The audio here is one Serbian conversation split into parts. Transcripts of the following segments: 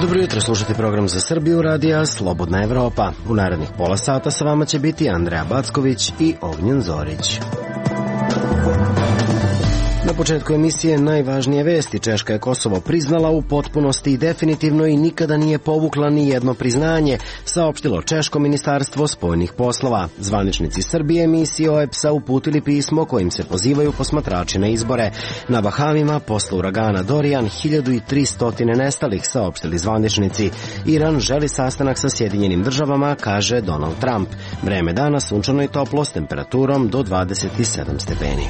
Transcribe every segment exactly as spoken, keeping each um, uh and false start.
Dobro jutro, slušate program za Srbiju radija Slobodna Evropa. U narednih pola sata sa vama će biti Andreja Backović i Ognjen Zorić. Na početku emisije najvažnije vesti. Češka je Kosovo priznala u potpunosti i definitivno i nikada nije povukla ni jedno priznanje, saopštilo Češko ministarstvo spoljnih poslova. Zvaničnici Srbije misiji O E P S-a uputili pismo kojim se pozivaju posmatrači na izbore. Na Bahamima posle uragana Dorian hiljadu tristo nestalih, saopštili zvaničnici. Iran želi sastanak sa Sjedinjenim državama, kaže Donald Trump. Vreme dana sunčano i toplo s temperaturom do dvadeset sedam stepeni.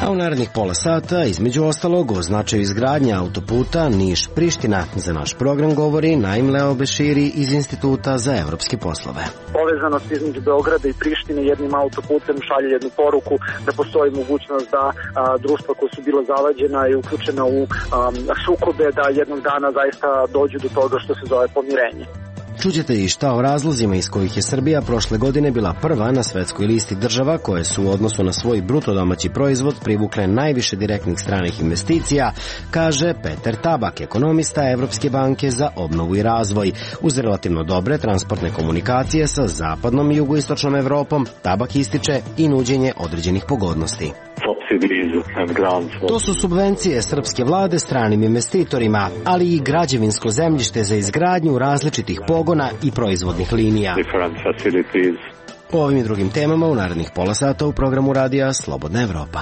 A u narednih pola sata, između ostalog, o značaju izgradnja autoputa Niš-Priština. Za naš program govori Naim Leo Beširi iz Instituta za evropske poslove. Povezanost između Beograda i Prištine jednim autoputem šalje jednu poruku da postoji mogućnost da a, društva koja su bila zavađena i uključena u a, sukobe, da jednog dana zaista dođu do toga što se zove pomirenje. Čućete i šta o razlozima iz kojih je Srbija prošle godine bila prva na svetskoj listi država koje su u odnosu na svoj bruto domaći proizvod privukle najviše direktnih stranih investicija, kaže Peter Tabak, ekonomista Evropske banke za obnovu i razvoj. Uz relativno dobre transportne komunikacije sa zapadnom i jugoistočnom Evropom, Tabak ističe i nuđenje određenih pogodnosti. To su subvencije srpske vlade stranim investitorima, ali i građevinsko zemljište za izgradnju različitih pogona i proizvodnih linija. O ovim i drugim temama u narednih pola sata u programu radija Slobodna Evropa.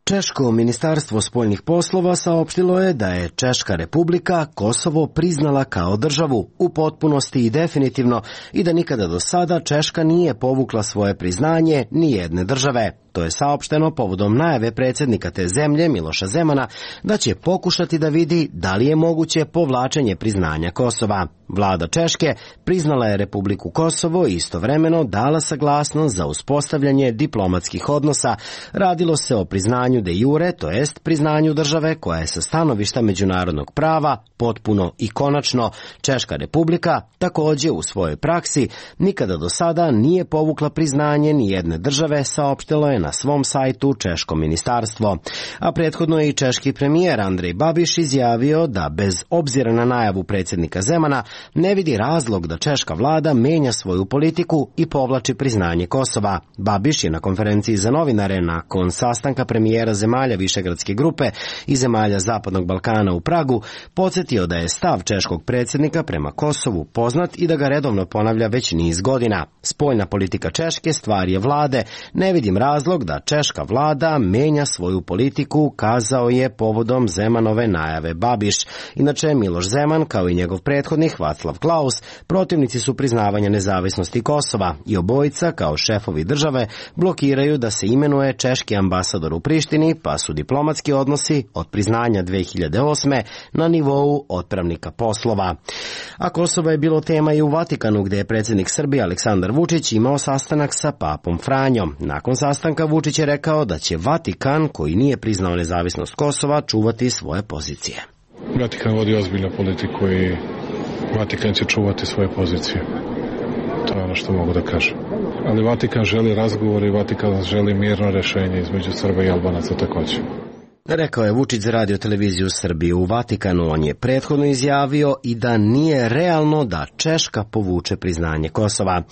Češko ministarstvo spoljnih poslova saopštilo je da je Češka republika Kosovo priznala kao državu u potpunosti i definitivno i da nikada do sada Češka nije povukla svoje priznanje ni jedne države. To je saopšteno povodom najave predsjednika te zemlje Miloša Zemana da će pokušati da vidi da li je moguće povlačenje priznanja Kosova. Vlada Češke priznala je Republiku Kosovo i istovremeno dala saglasnost za uspostavljanje diplomatskih odnosa. Radilo se o priznanju de jure, to jest priznanju države koja je sa stanovišta međunarodnog prava potpuno i konačno. Češka republika također u svojoj praksi nikada do sada nije povukla priznanje ni jedne države, saopštilo je na svom sajtu Češko ministarstvo. A prethodno je i češki premijer Andrej Babiš izjavio da bez obzira na najavu predsjednika Zemana ne vidi razlog da češka vlada menja svoju politiku i povlači priznanje Kosova. Babiš je na konferenciji za novinare nakon sastanka premijera zemalja Višegradske grupe i zemalja Zapadnog Balkana u Pragu podsjetio da je stav češkog predsjednika prema Kosovu poznat i da ga redovno ponavlja već niz godina. Spoljna politika Češke stvar je vlade. Ne vidim razlog da češka vlada menja svoju politiku, kazao je povodom Zemanove najave Babiš. Inače, Miloš Zeman, kao i njegov prethodnik Václav Klaus, protivnici su priznavanja nezavisnosti Kosova i obojica, kao šefovi države, blokiraju da se imenuje češki ambasador u Prištini, pa su diplomatski odnosi od priznanja dve hiljade osme na nivou otpravnika poslova. A Kosovo je bilo tema i u Vatikanu, gde je predsjednik Srbije Aleksandar Vučić imao sastanak sa papom Franjom. Nakon sastanka Vučić je rekao da će Vatikan, koji nije priznao nezavisnost Kosova, čuvati svoje pozicije. Vatikan vodi ozbiljnu politiku i Vatikan će čuvati svoje pozicije. To je ono što mogu da kažem. Ali Vatikan želi razgovor i Vatikan želi mirno rešenje između Srba i Albanaca također. Rekao je Vučić za radio televiziju Srbije u Vatikanu. On je prethodno izjavio i da nije realno da Češka povuče priznanje Kosova.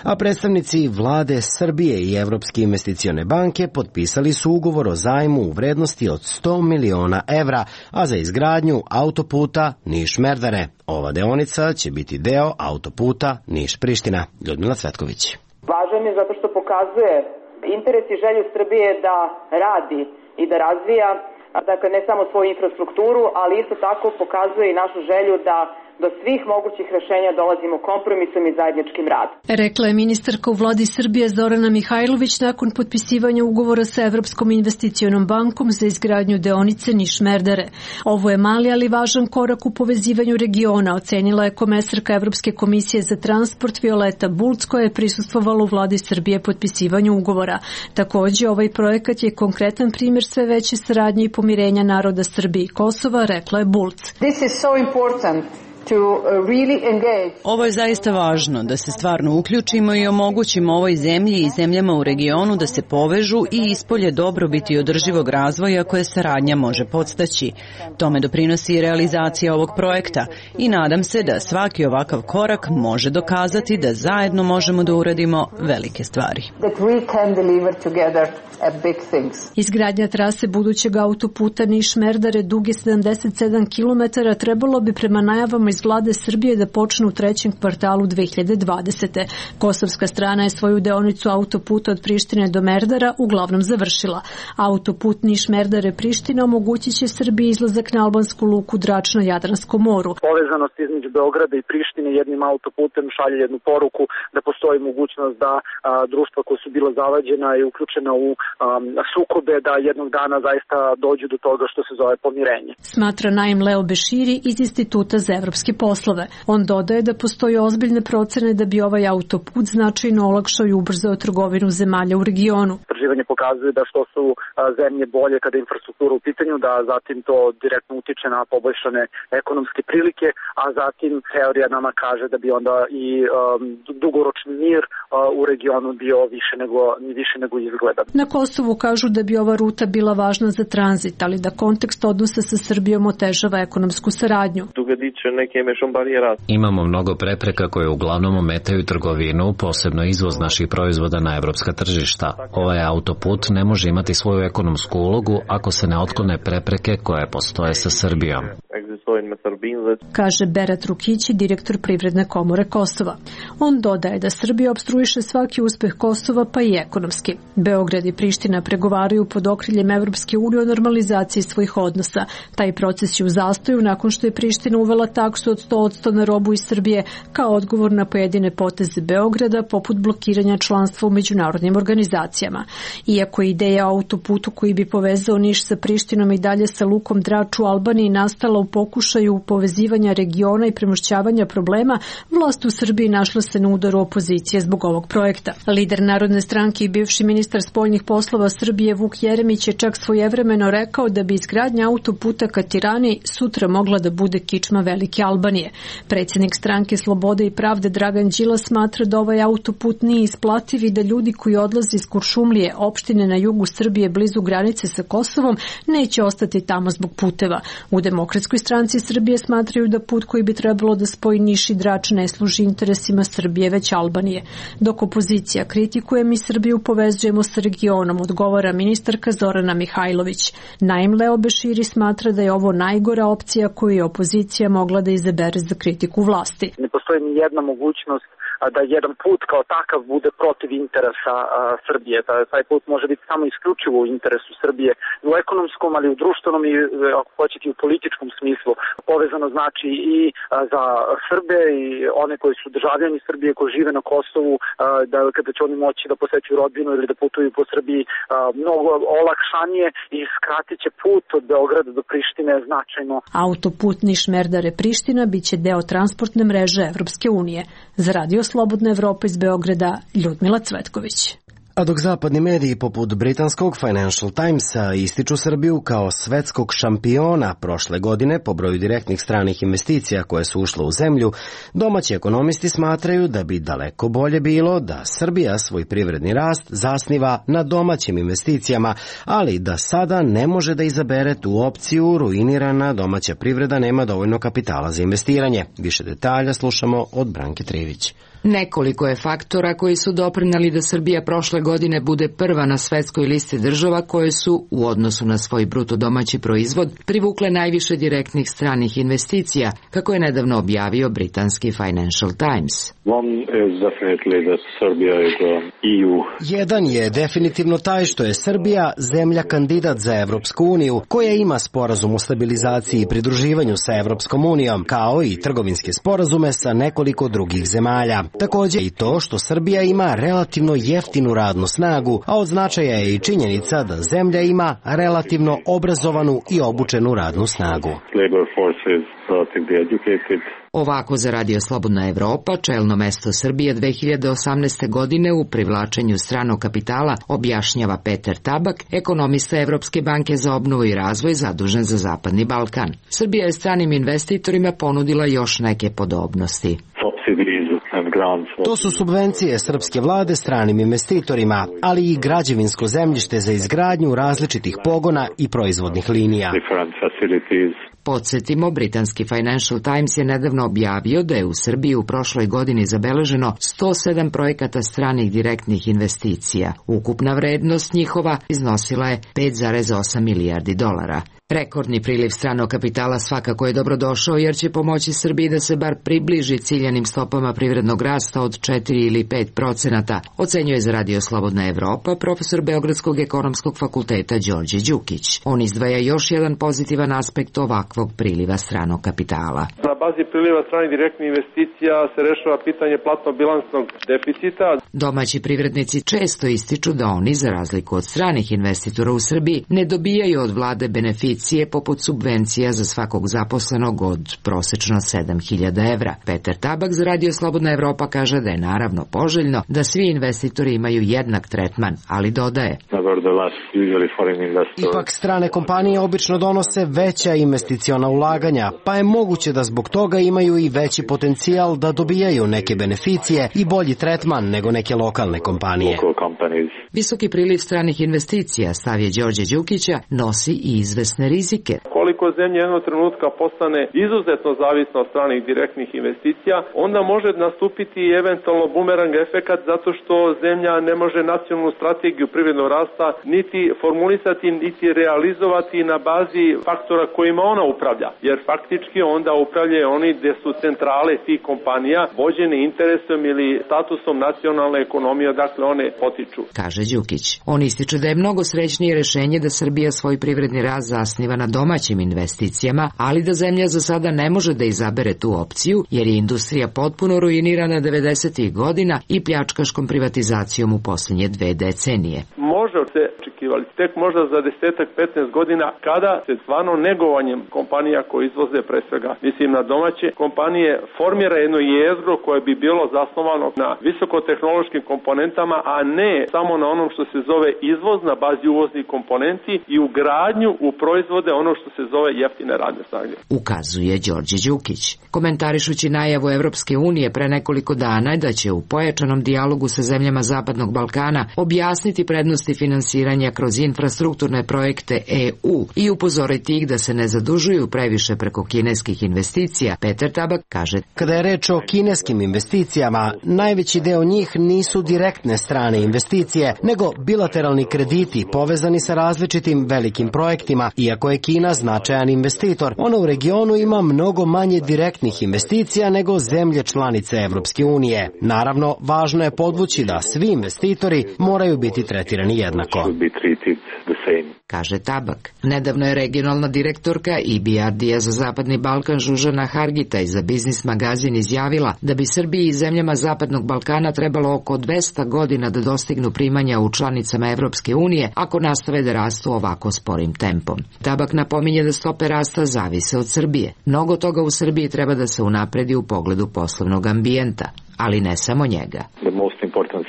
A predstavnici vlade Srbije i Evropske investicione banke potpisali su ugovor o zajmu u vrednosti od sto miliona evra, a za izgradnju autoputa Niš-Merdare. Ova deonica će biti deo autoputa Niš-Priština. Ljudmila Cvetković. Važan je zato što pokazuje interes i želju Srbije da radi i da razvija, dakle, ne samo svoju infrastrukturu, ali isto tako pokazuje i našu želju da do svih mogućih rešenja dolazimo kompromisom i zajedničkim radom. Rekla je ministarka u vladi Srbije Zorana Mihajlović nakon potpisivanja ugovora sa Evropskom investicionom bankom za izgradnju deonice Niš-Merdare. Ovo je mali, ali važan korak u povezivanju regiona, ocenila je komesarka Evropske komisije za transport Violeta Bulc, koja je prisustvovala u vladi Srbije potpisivanju ugovora. Takođe, ovaj projekat je konkretan primjer sve veće saradnje i pomirenja naroda Srbije i Kosova, rekla je Bulc. This is so important. Ovo je zaista važno, da se stvarno uključimo i omogućimo ovoj zemlji i zemljama u regionu da se povežu i ispolje dobrobiti održivog razvoja koje saradnja može podstaći. Tome doprinosi i realizacija ovog projekta i nadam se da svaki ovakav korak može dokazati da zajedno možemo da uradimo velike stvari. Izgradnja trase budućeg autoputa Niš-Merdare duge sedamdeset sedam kilometara trebalo bi prema najavama iz vlade Srbije da počne u trećem kvartalu dve hiljade dvadesete. Kosovska strana je svoju deonicu autoputa od Prištine do Merdara uglavnom završila. Autoput Niš-Merdare-Priština omogućit će Srbiji izlazak na albansku luku Drač na Jadranskom moru. Povezanost između Beograda i Prištine jednim autoputem šalje jednu poruku da postoji mogućnost da a, društva koja su bila zavađena i uključena u a, sukobe, da jednog dana zaista dođu do toga što se zove pomirenje. Smatra Naim Leo Beširi iz Instituta za evropske poslove. On dodaje da postoje ozbiljne procene da bi ovaj autoput značajno olakšao i ubrzao trgovinu zemalja u regionu. Istraživanje pokazuje da što su zemlje bolje kada je infrastruktura u pitanju, da zatim to direktno utiče na poboljšane ekonomske prilike, a zatim teorija nama kaže da bi onda i um, dugoročni mir uh, u regionu bio više nego, više nego izgleda. Na Kosovu kažu da bi ova ruta bila važna za tranzit, ali da kontekst odnosa sa Srbijom otežava ekonomsku saradnju. Imamo mnogo prepreka koje uglavnom ometaju trgovinu, posebno izvoz naših proizvoda na evropska tržišta. Ovaj autoput ne može imati svoju ekonomsku ulogu ako se ne otklone prepreke koje postoje sa Srbijom, kaže Berat Rukići, direktor Privredne komore Kosova. On dodaje da Srbija opstruiše svaki uspeh Kosova, pa i ekonomski. Beograd i Priština pregovaraju pod okriljem Evropske unije o normalizaciji svojih odnosa. Taj proces je u zastoju nakon što je Priština uvela taksu od sto posto na robu iz Srbije kao odgovor na pojedine poteze Beograda, poput blokiranja članstva u međunarodnim organizacijama. Iako je ideja o autoputu koji bi povezao Niš sa Prištinom i dalje sa lukom Drač u Albaniji nastala u pokušaju povezivanja regiona i premošćavanja problema, vlast u Srbiji našla se na udaru opozicije zbog ovog projekta. Lider Narodne stranke i bivši ministar spoljnih poslova Srbije Vuk Jeremić je čak svojevremeno rekao da bi izgradnja autoputa ka Tirani sutra mogla da bude kičma velike Albanije. Predsjednik stranke Slobode i pravde Dragan Đilas smatra da ovaj autoput nije isplativ i da ljudi koji odlaze iz Kuršumlije, opštine na jugu Srbije blizu granice sa Kosovom, neće ostati tamo zbog puteva. U Demokratskoj stranci Srbije smatraju da put koji bi trebalo da spoji Niš i Drač ne služi interesima Srbije, već Albanije. Dok opozicija kritikuje, mi Srbiju povezujemo sa regionom, odgovara ministarka Zorana Mihajlović. Naim Leo Beširi smatra da je ovo najgora opcija koju je opozicija mogla da izabere za kritiku vlasti. Ne postoji ni jedna mogućnost da jedan put kao takav bude protiv interesa a, Srbije. Taj put može biti samo isključivo u interesu Srbije u ekonomskom, ali u društvenom i ako hoćete u političkom smislu. Povezano znači i a, za Srbe i one koji su državljani Srbije koji žive na Kosovu, a, da kada će oni moći da posećuju rodbinu ili da putuju po Srbiji a, mnogo olakšanije i skratit će put od Beograda do Prištine značajno. Autoput Niš-Merdare-Priština biće deo transportne mreže Evropske unije. Za Radio Slobodna Evropa iz Beograda, Ljudmila Cvetković. A dok zapadni mediji poput britanskog Financial Timesa ističu Srbiju kao svetskog šampiona prošle godine po broju direktnih stranih investicija koje su ušle u zemlju, domaći ekonomisti smatraju da bi daleko bolje bilo da Srbija svoj privredni rast zasniva na domaćim investicijama, ali da sada ne može da izabere tu opciju, ruinirana domaća privreda nema dovoljno kapitala za investiranje. Više detalja slušamo od Branke Trivić. Nekoliko je faktora koji su doprineli da Srbija prošle godine bude prva na svetskoj listi država koje su, u odnosu na svoj bruto domaći proizvod, privukle najviše direktnih stranih investicija, kako je nedavno objavio britanski Financial Times. Jedan je definitivno taj što je Srbija zemlja kandidat za Evropsku uniju, koja ima sporazum o stabilizaciji i pridruživanju sa Evropskom unijom, kao i trgovinske sporazume sa nekoliko drugih zemalja. Također i to što Srbija ima relativno jeftinu radnu snagu, a od značaja je i činjenica da zemlja ima relativno obrazovanu i obučenu radnu snagu. Ovako za Radio Slobodna Evropa čelno mesto Srbije dve hiljade osamnaeste. godine u privlačenju stranog kapitala objašnjava Peter Tabak, ekonomista Evropske banke za obnovu i razvoj zadužen za Zapadni Balkan. Srbija je stranim investitorima ponudila još neke podobnosti. To su subvencije srpske vlade stranim investitorima, ali i građevinsko zemljište za izgradnju različitih pogona i proizvodnih linija. Podsjetimo, britanski Financial Times je nedavno objavio da je u Srbiji u prošloj godini zabeleženo sto sedam projekata stranih direktnih investicija. Ukupna vrednost njihova iznosila je pet zarez osam milijardi dolara. Rekordni priliv stranog kapitala svakako je dobrodošao jer će pomoći Srbiji da se bar približi ciljanim stopama privrednog rasta od četiri ili pet procenata, ocenjuje za Radio Slobodna Evropa profesor Beogradskog ekonomskog fakulteta Đorđe Đukić. On izdvaja još jedan pozitivan aspekt ovakvog priliva stranog kapitala. Na bazi priliva stranih direktnih investicija se rešava pitanje platno-bilansnog deficita. Domaći privrednici često ističu da oni, za razliku od stranih investitora u Srbiji, ne dobijaju od vlade beneficije poput subvencija za svakog zaposlenog od prosečno sedam hiljada evra. Peter Tabak za Radio Slobodna Evropa kaže da je naravno poželjno da svi investitori imaju jednak tretman, ali dodaje: Ipak strane kompanije obično donose veća investiciona ulaganja, pa je moguće da zbog toga imaju i veći potencijal da dobijaju neke beneficije i bolji tretman nego neke lokalne kompanije. Visoki priliv stranih investicija, stav je Đorđe Đukića, nosi i izvesne rizike. Koliko zemlja jednog trenutka postane izuzetno zavisna od stranih direktnih investicija, onda može nastupiti i eventualno bumerang efekat zato što zemlja ne može nacionalnu strategiju privrednog rasta niti formulisati, niti realizovati na bazi faktora kojima ona upravlja. Jer faktički onda upravljaju oni gdje su centrale tih kompanija vođene interesom ili statusom nacionalne ekonomije, dakle one potiču. Kaže Đukić. On ističe da je mnogo srećnije rešenje da Srbija svoj privredni rast zasniva na domaćim investicijama, ali da zemlja za sada ne može da izabere tu opciju, jer je industrija potpuno ruinirana devedesetih godina i pljačkaškom privatizacijom u posljednje dve decenije. Može se očekivali tek možda za desetak petnaest godina kada se stvarno negovanjem kompanija koje izvoze pre svega, mislim na domaće kompanije, formira jedno jezgro koje bi bilo zasnovano na visokotehnološkim komponentama, a ne samo na onom što se zove izvoz na bazi uvoznih komponenti i ugradnju u proizvode ono što se zove jeftine radne snage. Ukazuje Đorđe Đukić. Komentarišući najavu Evropske unije pre nekoliko dana da će u pojačanom dijalogu sa zemljama Zapadnog Balkana objasniti prednosti finansiranja kroz infrastrukturne projekte E U i upozoriti ih da se ne zadužuju previše preko kineskih investicija, Peter Tabak kaže: Kada je reč o kineskim investicijama, najveći deo njih nisu direktne strane investicije, nego bilateralni krediti povezani sa različitim velikim projektima. Iako je Kina značajan investitor, ona u regionu ima mnogo manje direktnih investicija nego zemlje članice Evropske unije. Naravno, važno je podvući da svi investitori moraju biti tretirani jednako, kaže Tabak. Nedavno je regionalna direktorka E B R D-a za Zapadni Balkan Žužana Hargitaj za Biznis magazin izjavila da bi Srbiji i zemljama Zapadnog Balkana trebalo oko dvesta godina da dostignu primanja u članicama Evropske unije ako nastave da rastu ovako sporim tempom. Tabak napominje da stope rasta zavise od Srbije. Mnogo toga u Srbiji treba da se unapredi u pogledu poslovnog ambijenta, ali ne samo njega. The most important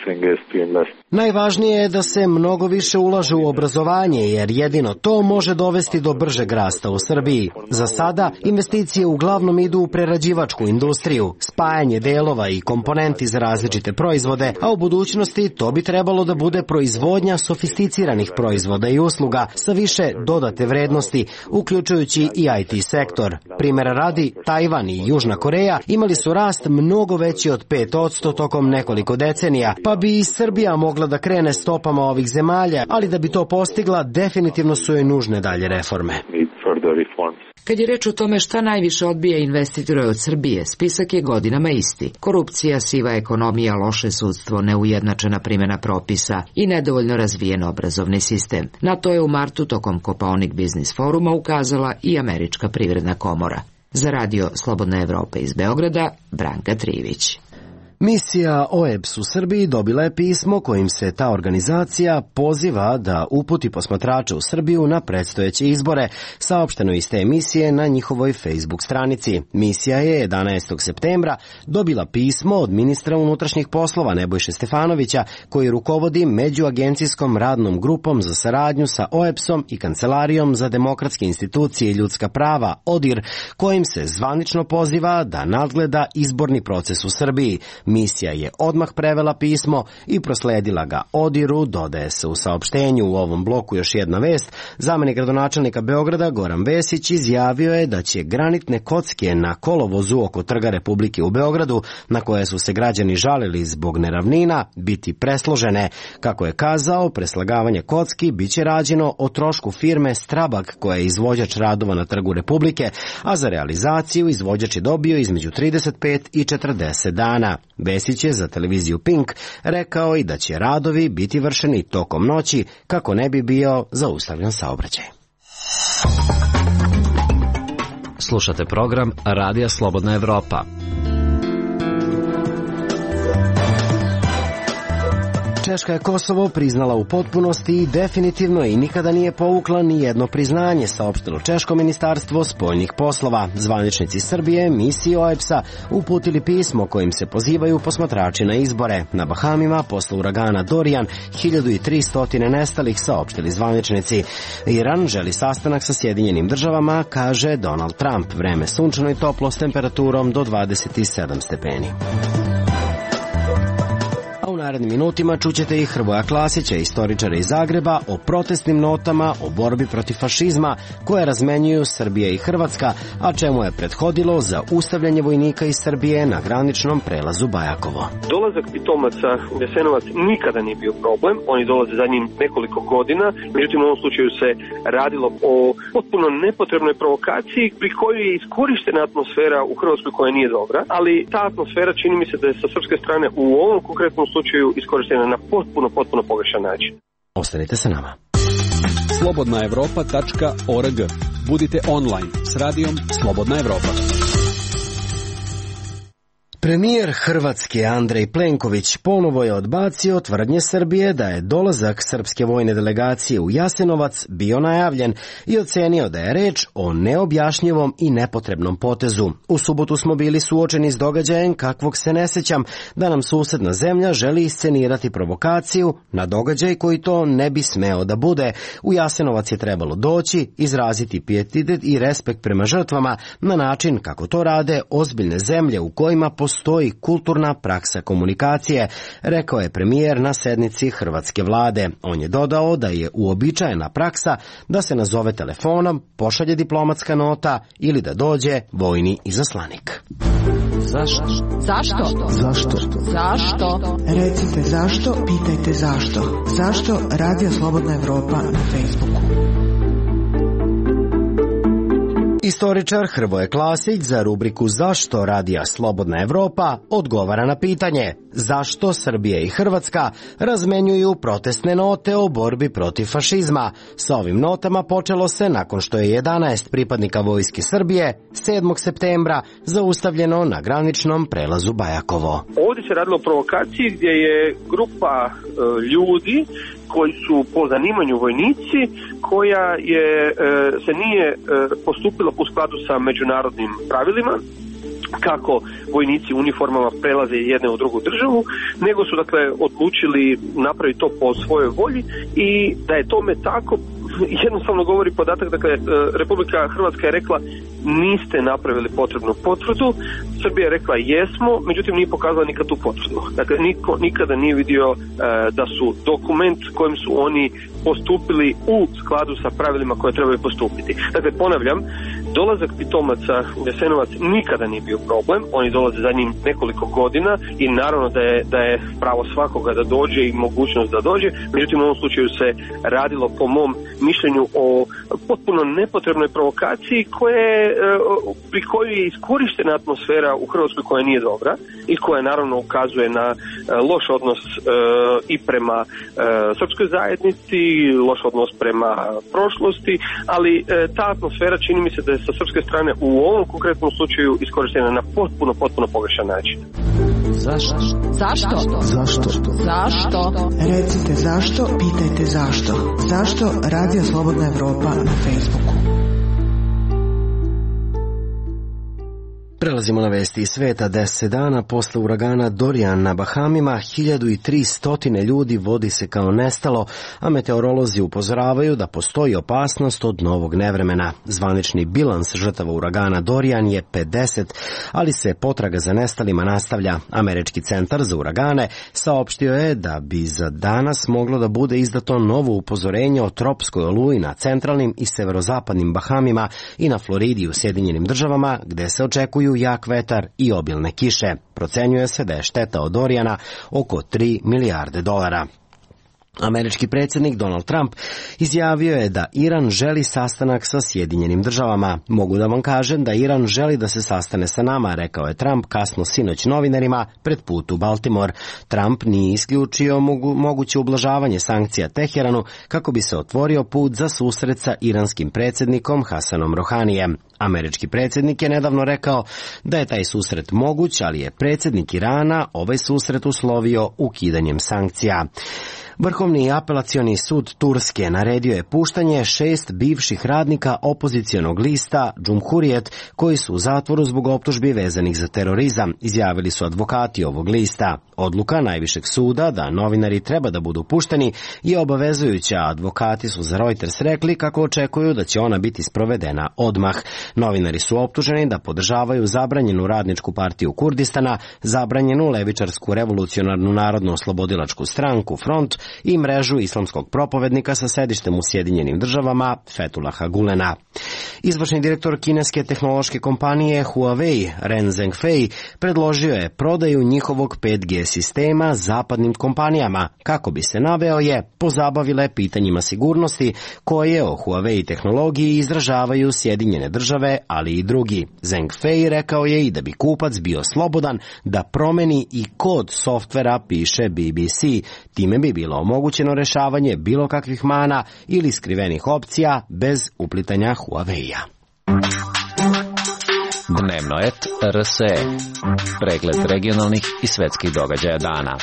Najvažnije je da se mnogo više ulaže u obrazovanje, jer jedino to može dovesti do bržeg rasta u Srbiji. Za sada investicije uglavnom idu u prerađivačku industriju, spajanje delova i komponenti za različite proizvode, a u budućnosti to bi trebalo da bude proizvodnja sofisticiranih proizvoda i usluga sa više dodate vrednosti, uključujući i I T sektor. Primera radi, Tajvan i Južna Koreja imali su rast mnogo veći od pet posto tokom nekoliko decenija, pa bi i Srbija mogla da krene stopama ovih zemalja, ali da bi to postigla, definitivno su joj nužne dalje reforme. Kad je reč o tome šta najviše odbija investitore od Srbije, spisak je godinama isti. Korupcija, siva ekonomija, loše sudstvo, neujednačena primjena propisa i nedovoljno razvijen obrazovni sistem. Na to je u martu tokom Kopaonik Biznis foruma ukazala i Američka privredna komora. Za radio Slobodna Evropa iz Beograda, Branka Trivić. Misija O E B S u Srbiji dobila je pismo kojim se ta organizacija poziva da uputi posmatrače u Srbiju na predstojeće izbore, saopšteno iz te emisije na njihovoj Facebook stranici. Misija je jedanaestog septembra dobila pismo od ministra unutrašnjih poslova Nebojše Stefanovića, koji rukovodi međuagencijskom radnom grupom za saradnju sa O E B S-om i Kancelarijom za demokratske institucije i ljudska prava, ODIR, kojim se zvanično poziva da nadgleda izborni proces u Srbiji. Misija je odmah prevela pismo i prosledila ga ODIR-u, dodaje se u saopštenju. U ovom bloku još jedna vest. Zamenik gradonačelnika Beograda Goran Vesić izjavio je da će granitne kocke na kolovozu oko Trga Republike u Beogradu, na koje su se građani žalili zbog neravnina, biti presložene. Kako je kazao, preslagavanje kocki biće rađeno o trošku firme Strabag, koja je izvođač radova na Trgu Republike, a za realizaciju izvođač je dobio između trideset pet i četrdeset dana. Vesić je za televiziju Pink rekao i da će radovi biti vršeni tokom noći kako ne bi bio zaustavljen saobraćaj. Slušate program Radija Slobodna Evropa. Češka je Kosovo priznala u potpunosti i definitivno i nikada nije povukla ni jedno priznanje, saopštilo Češko ministarstvo spoljnih poslova. Zvaničnici Srbije misiji O E B S-a uputili pismo kojim se pozivaju posmatrači na izbore. Na Bahamima posle uragana Dorian hiljadu tristo nestalih, saopštili zvaničnici. Iran želi sastanak sa Sjedinjenim državama, kaže Donald Trump. Vreme sunčano i toplo s temperaturom do dvadeset sedam stepeni. U narednim minutima čućete i Hrvoja Klasića, istoričara iz Zagreba, o protestnim notama, o borbi protiv fašizma koje razmenjuju Srbija i Hrvatska, a čemu je prethodilo zaustavljanje vojnika iz Srbije na graničnom prelazu Bajakovo. Dolazak pitomaca u Jasenovac nikada nije bio problem, oni dolaze zadnjim nekoliko godina, međutim u ovom slučaju se radilo o potpuno nepotrebnoj provokaciji pri kojoj je iskorištena atmosfera u Hrvatskoj koja nije dobra, ali ta atmosfera čini mi se da je sa srpske strane u ovom konkretnom slučaju iskorištena na potpuno, potpuno pogrešan način. Ostanite sa nama. slobodna evropa tačka org. Budite online s radijom Slobodna Evropa. Premijer Hrvatske Andrej Plenković ponovo je odbacio tvrdnje Srbije da je dolazak srpske vojne delegacije u Jasenovac bio najavljen i ocenio da je reč o neobjašnjivom i nepotrebnom potezu. U subotu smo bili suočeni s događajem kakvog se ne sećam, da nam susedna zemlja želi iscenirati provokaciju na događaj koji to ne bi smeo da bude. U Jasenovac je trebalo doći, izraziti pijetet i respekt prema žrtvama na način kako to rade ozbiljne zemlje u kojima postoji kulturna praksa komunikacije, rekao je premijer na sednici hrvatske vlade. On je dodao da je uobičajena praksa da se nazove telefonom, pošalje diplomatska nota ili da dođe vojni izaslanik. Zašto? Zašto? Zašto? Zašto? Recite zašto, pitajte zašto. Zašto Radio Slobodna Evropa na Facebooku? Istoričar Hrvoje Klasić za rubriku Zašto Radija Slobodna Evropa odgovara na pitanje zašto Srbija i Hrvatska razmenjuju protestne note o borbi protiv fašizma. Sa ovim notama počelo se nakon što je jedanaest pripadnika Vojske Srbije sedmog septembra zaustavljeno na graničnom prelazu Bajakovo. Ovdje se radilo o provokaciji gdje je grupa e, ljudi koji su po zanimanju vojnici, koja je, e, se nije e, postupila u skladu sa međunarodnim pravilima, kako vojnici u uniformama prelaze jedne u drugu državu, nego su dakle odlučili napraviti to po svojoj volji i da je tome tako jednostavno govori podatak, dakle Republika Hrvatska je rekla niste napravili potrebnu potvrdu, Srbija je rekla jesmo, međutim nije pokazala nikad tu potvrdu. Dakle, niko nikada nije vidio e, da su dokument kojim su oni postupili u skladu sa pravilima koje trebaju postupiti. Dakle, ponavljam, dolazak pitomaca u Jasenovac nikada nije bio problem, oni dolaze za njim nekoliko godina i naravno da je, da je pravo svakoga da dođe i mogućnost da dođe, međutim u ovom slučaju se radilo po mom mišljenju o potpuno nepotrebnoj provokaciji koje, pri kojoj je iskorištena atmosfera u Hrvatskoj koja nije dobra i koja naravno ukazuje na loš odnos i prema srpskoj zajednici, loš odnos prema prošlosti, ali ta atmosfera čini mi se da je sa srpske strane u ovom konkretnom slučaju iskorištena na potpuno, potpuno pogrešan način. Zašto? Zašto? Zašto? Zašto? Recite zašto, pitajte zašto. Zašto Radio Slobodna Evropa na Facebooku? Prelazimo na vesti iz sveta. Deset dana posle uragana Dorian na Bahamima, hiljadu tristo ljudi vodi se kao nestalo, a meteorolozi upozoravaju da postoji opasnost od novog nevremena. Zvanični bilans žrtava uragana Dorian je pedeset, ali se potraga za nestalima nastavlja. Američki centar za uragane saopštio je da bi za danas moglo da bude izdato novo upozorenje o tropskoj oluji na centralnim i severozapadnim Bahamima i na Floridi u Sjedinjenim državama, gde se očekuju jak vetar i obilne kiše. Procenjuje se da je šteta od Dorijana oko tri milijarde dolara. Američki predsjednik Donald Trump izjavio je da Iran želi sastanak sa Sjedinjenim državama. Mogu da vam kažem da Iran želi da se sastane sa nama, rekao je Trump kasno sinoć novinarima pred put u Baltimore. Trump nije isključio mogu, moguće ublažavanje sankcija Teheranu kako bi se otvorio put za susret sa iranskim predsjednikom Hasanom Rohanijem. Američki predsjednik je nedavno rekao da je taj susret moguć, ali je predsjednik Irana ovaj susret uslovio ukidanjem sankcija. Vrhovni apelacioni sud Turske naredio je puštanje šest bivših radnika opozicionog lista Cumhuriyet koji su u zatvoru zbog optužbi vezanih za terorizam, izjavili su advokati ovog lista. Odluka najvišeg suda da novinari treba da budu pušteni je obavezujuća. Advokati su za Reuters rekli kako očekuju da će ona biti sprovedena odmah. Novinari su optuženi da podržavaju zabranjenu radničku partiju Kurdistana, zabranjenu levičarsku revolucionarnu narodno-oslobodilačku stranku Front i mrežu islamskog propovednika sa sedištem u Sjedinjenim državama Fethullaha Gulena. Izvršni direktor kineske tehnološke kompanije Huawei, Ren Zhengfei, predložio je prodaju njihovog pet G sistema zapadnim kompanijama, kako bi se, naveo je, pozabavile pitanjima sigurnosti koje o Huawei tehnologiji izražavaju Sjedinjene države, ali i drugi. Zhengfei rekao je i da bi kupac bio slobodan da promeni i kod softvera, piše B B C. Time bi bilo omogućeno rešavanje bilo kakvih mana ili skrivenih opcija bez uplitanja Huawei-a. Dnevno et R S E. Pregled regionalnih i svetskih događaja dana.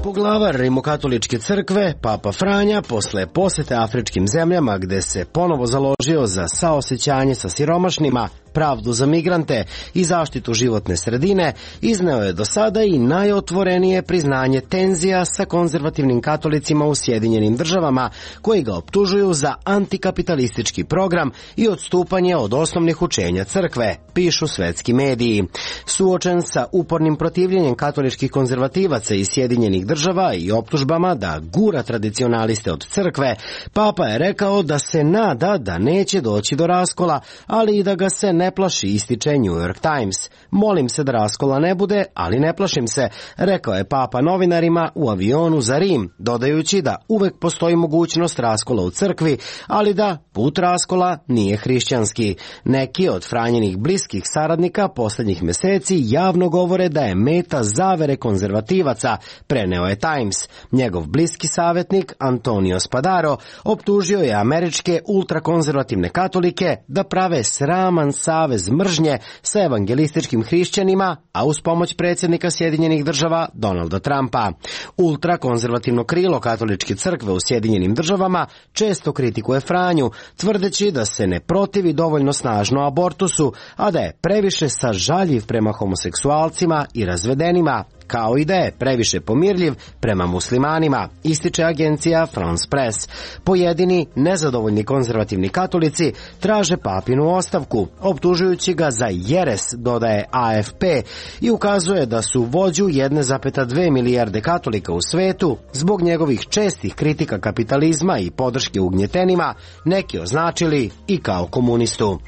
Poglavar Rimokatoličke crkve, Papa Franja, posle posete afričkim zemljama gde se ponovo založio za saosećanje sa siromašnima, pravdu za migrante i zaštitu životne sredine, izneo je do sada i najotvorenije priznanje tenzija sa konzervativnim katolicima u Sjedinjenim državama, koji ga optužuju za antikapitalistički program i odstupanje od osnovnih učenja crkve, pišu svetski mediji. Suočen sa upornim protivljenjem katoličkih konzervativaca iz Sjedinjenih država i optužbama da gura tradicionaliste od crkve, Papa je rekao da se nada da neće doći do raskola, ali i da ga se ne ne plaši, ističe New York Times. Molim se da raskola ne bude, ali ne plašim se, rekao je Papa novinarima u avionu za Rim, dodajući da uvek postoji mogućnost raskola u crkvi, ali da put raskola nije hrišćanski. Neki od Franjenih bliskih saradnika poslednjih meseci javno govore da je meta zavere konzervativaca, preneo je Times. Njegov bliski savjetnik Antonio Spadaro optužio je američke ultrakonzervativne katolike da prave sraman savjet savez mržnje sa evangelističkim hrišćanima, a uz pomoć predsjednika Sjedinjenih država Donalda Trumpa. Ultrakonzervativno krilo katoličke crkve u Sjedinjenim državama često kritikuje Franju, tvrdeći da se ne protivi dovoljno snažno abortusu, a da je previše sažaljiv prema homoseksualcima i razvedenima, kao i da je previše pomirljiv prema muslimanima, ističe agencija France Press. Pojedini nezadovoljni konzervativni katolici traže papinu ostavku, optužujući ga za jeres, dodaje A F P, i ukazuje da su vođu jedne zarez dve milijarde katolika u svetu zbog njegovih čestih kritika kapitalizma i podrške ugnjetenima neki označili i kao komunistu.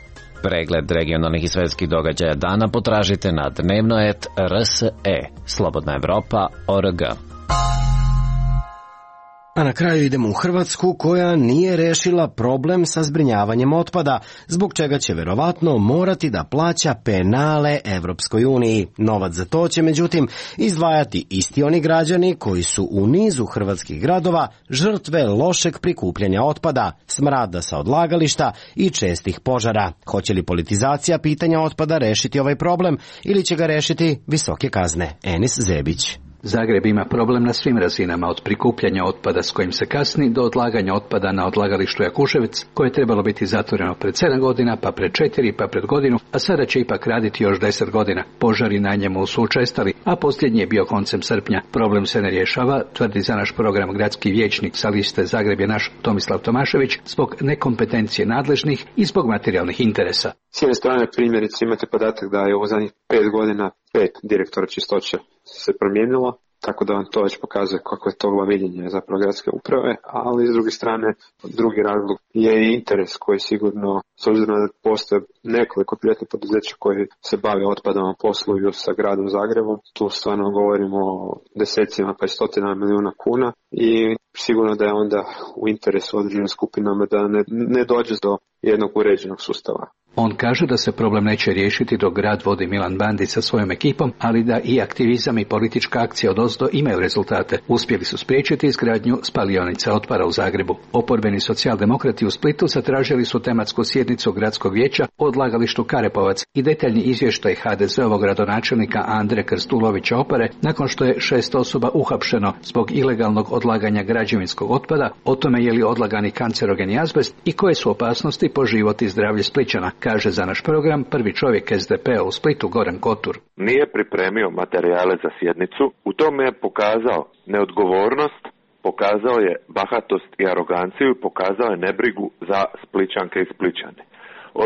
Pregled regionalnih i svetskih događaja dana potražite na dnevnoet R S E, Slobodna Evropa, O R G. A na kraju idemo u Hrvatsku, koja nije rešila problem sa zbrinjavanjem otpada, zbog čega će verovatno morati da plaća penale Evropskoj uniji. Novac za to će, međutim, izdvajati isti oni građani koji su u nizu hrvatskih gradova žrtve lošeg prikupljanja otpada, smrada sa odlagališta i čestih požara. Hoće li politizacija pitanja otpada rešiti ovaj problem ili će ga rešiti visoke kazne? Enis Zebić. Zagreb ima problem na svim razinama, od prikupljanja otpada s kojim se kasni do odlaganja otpada na odlagalištu Jakuševac, koje je trebalo biti zatvoreno pred sedam godina, pa pred četiri, pa pred godinu, a sada će ipak raditi još deset godina. Požari na njemu su učestali, a posljednji je bio koncem srpnja. Problem se ne rješava, tvrdi za naš program gradski vijećnik sa liste Zagreb je naš Tomislav Tomašević, zbog nekompetencije nadležnih i zbog materijalnih interesa. S jedne strane, primjerice, imate podatak da je u zadnjih pet godina pet direktora čistoće se promijenilo, tako da vam to već pokazuje kako je to glaviljenje zapravo gradske uprave, ali s druge strane, drugi razlog je i interes koji sigurno, s obzirom da postoje nekoliko privatnih poduzeća koji se bave otpadom, posluju sa gradom Zagrebom, tu stvarno govorimo o desecima pa i stotinama milijuna kuna i sigurno da je onda u interesu određenim skupinama da ne, ne dođe do jednog uređenog sustava. On kaže da se problem neće riješiti dok grad vodi Milan Bandić sa svojom ekipom, ali da i aktivizam i politička akcija odozdo imaju rezultate. Uspjeli su spriječiti izgradnju spalionice otpada u Zagrebu. Oporbeni socijaldemokrati u Splitu zatražili su tematsku sjednicu gradskog vijeća o odlagalištu Karepovac i detaljni izvještaj H D Z-ovog gradonačelnika Andre Krstulovića Opare nakon što je šest osoba uhapšeno zbog ilegalnog odlaganja građevinskog otpada, o tome je li odlagani kancerogeni azbest i koje su opasnosti po život i zdravlje Splićana, kaže za naš program prvi čovjek S D P-a u Splitu Goran Kotur. Nije pripremio materijale za sjednicu, u tome je pokazao neodgovornost, pokazao je bahatost i aroganciju i pokazao je nebrigu za Splićanke i Splićane.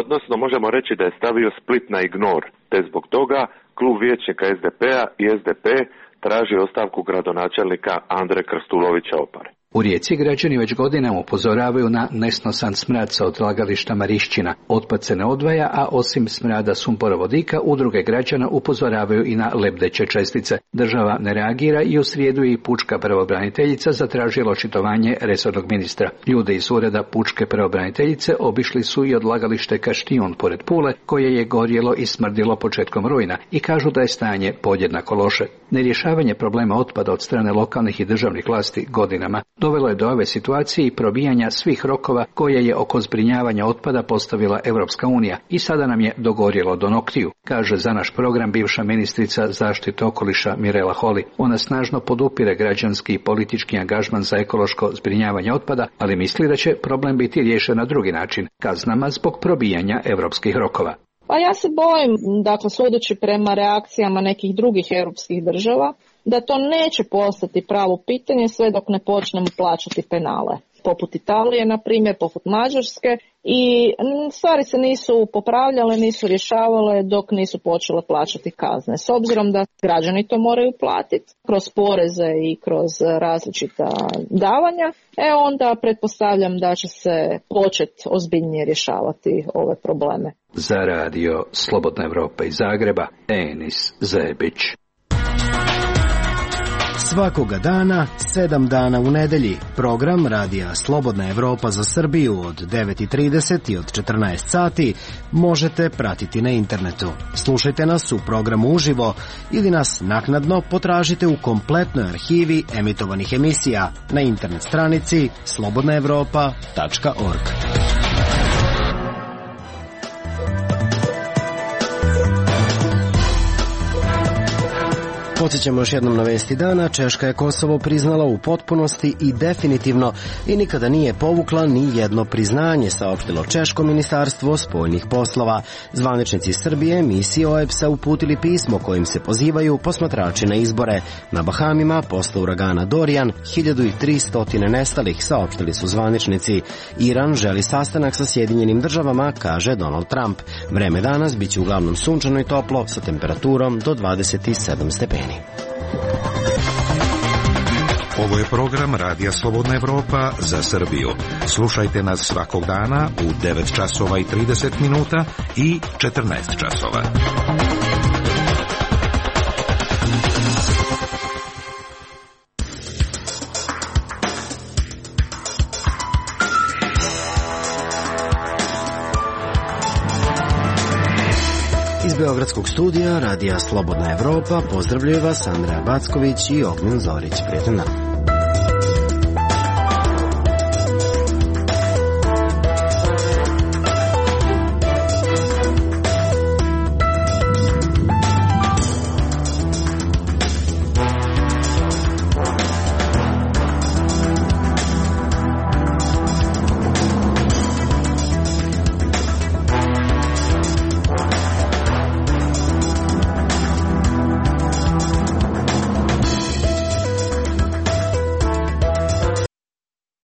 Odnosno, možemo reći da je stavio Split na ignor, te zbog toga klub vijećnika S D P-a i S D P traži ostavku gradonačelnika Andre Krstulovića Opare. U Rijeci građani već godinama upozoravaju na nesnosan smrad sa odlagališta Marišćina. Otpad se ne odvaja, a osim smrada sumporovodika, udruge građana upozoravaju i na lebdeće čestice. Država ne reagira i u srijedu i pučka pravobraniteljica zatražila očitovanje resornog ministra. Ljude iz ureda pučke pravobraniteljice obišli su i odlagalište Kaštijun pored Pule, koje je gorjelo i smrdilo početkom rujna, i kažu da je stanje podjednako loše. Nerješavanje problema otpada od strane lokalnih i državnih vlasti godinama dovelo je do ove situacije i probijanja svih rokova koje je oko zbrinjavanja otpada postavila Europska unija i sada nam je dogorjelo do noktiju, kaže za naš program bivša ministrica zaštite okoliša Mirela Holy. Ona snažno podupire građanski i politički angažman za ekološko zbrinjavanje otpada, ali misli da će problem biti riješen na drugi način, kaznama zbog probijanja europskih rokova. Pa ja se bojim, dakle, sudeći prema reakcijama nekih drugih europskih država, da to neće postati pravo pitanje sve dok ne počnemo plaćati penale. Poput Italije, na primjer, poput Mađarske, i stvari se nisu popravljale, nisu rješavale dok nisu počele plaćati kazne. S obzirom da građani to moraju platiti kroz poreze i kroz različita davanja, e onda pretpostavljam da će se početi ozbiljnije rješavati ove probleme. Za radio Slobodna Evropa iz Zagreba, Enis Zebić. Svakoga dana, sedam dana u nedelji, program radija Slobodna Evropa za Srbiju od devet i trideset i od četrnaest sati možete pratiti na internetu. Slušajte nas u programu uživo ili nas naknadno potražite u kompletnoj arhivi emitovanih emisija na internet stranici slobodna evropa tačka org. Podsjećamo još jednom na vesti dana. Češka je Kosovo priznala u potpunosti i definitivno i nikada nije povukla ni jedno priznanje, saopštilo Češko ministarstvo spoljnih poslova. Zvaničnici Srbije misiji O E B S-a uputili pismo kojim se pozivaju posmatrači na izbore. Na Bahamima posle uragana Dorian hiljadu tristo nestalih, saopštili su zvaničnici. Iran želi sastanak sa Sjedinjenim državama, kaže Donald Trump. Vreme danas biće uglavnom sunčano i toplo sa temperaturom do dvadeset sedam stepeni. Ovo je program Radija Slobodna Evropa za Srbiju. Slušajte nas svakog dana u devet časova i trideset minuta i četrnaest časova. Iz Beogradskog studija Radija Slobodna Evropa pozdravljaju vas Andreja Backović i Ognjen Zorić. Prijatan dan.